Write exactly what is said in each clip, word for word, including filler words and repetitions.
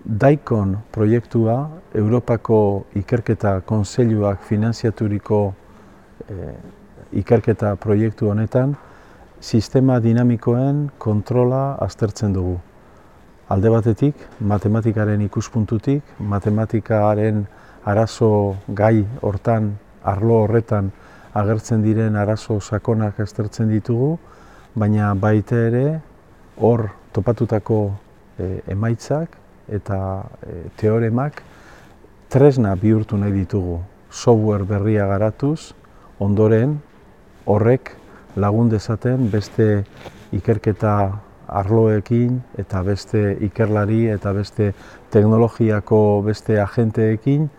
DAICON proiektua Europako Ikerketa Kontseiluak finanziaturiko eh, ikerketa proiektu honetan sistema dinamikoen kontrola aztertzen dugu. Alde batetik, matematikaren ikuspuntutik, matematikaren arazo gai hortan, arlo horretan agertzen diren arazo sakonak aztertzen ditugu, baina baita ere hor topatutako e, emaitzak eta e, teoremak tresna bihurtu nahi ditugu. Software berria garatuz, ondoren horrek lagun dezaten beste ikerketa arloekin eta beste ikerlari eta beste teknologiako beste agenteekin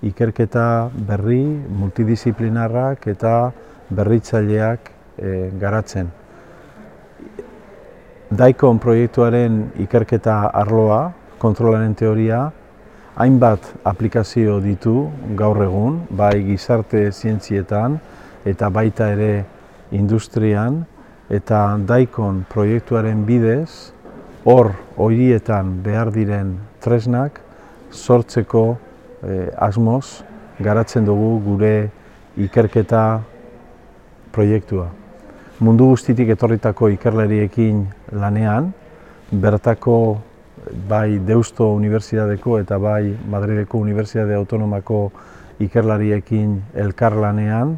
ikerketa berri, multidisiplinarrak eta berritzaileak e, garatzen. DAICON proiektuaren ikerketa arloa, kontrolaren teoria, hainbat aplikazio ditu gaur egun, bai gizarte zientzietan eta baita ere industrian, eta DAICON proiektuaren bidez, hor horietan behar diren tresnak sortzeko eh, asmoz garatzen dugu gure ikerketa proiektua. Mundu guztitik etorritako ikerlariekin lanean, bertako bai Deusto Unibertsitateko eta bai Madrileko Unibertsitate Autonomako ikerlariekin elkarlanean,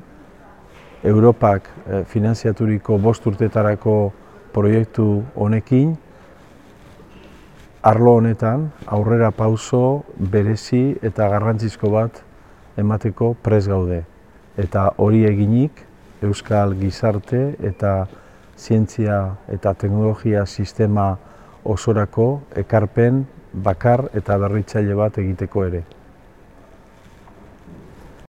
Europak eh, finanziaturiko bost urtetarako proiektu honekin, arlo honetan aurrera pauso berezi eta garrantzizko bat emateko prest gaude. Eta hori eginik, Euskal Gizarte eta Zientzia eta Teknologia Sistema osorako ekarpen bakar eta berritzaile bat egiteko ere.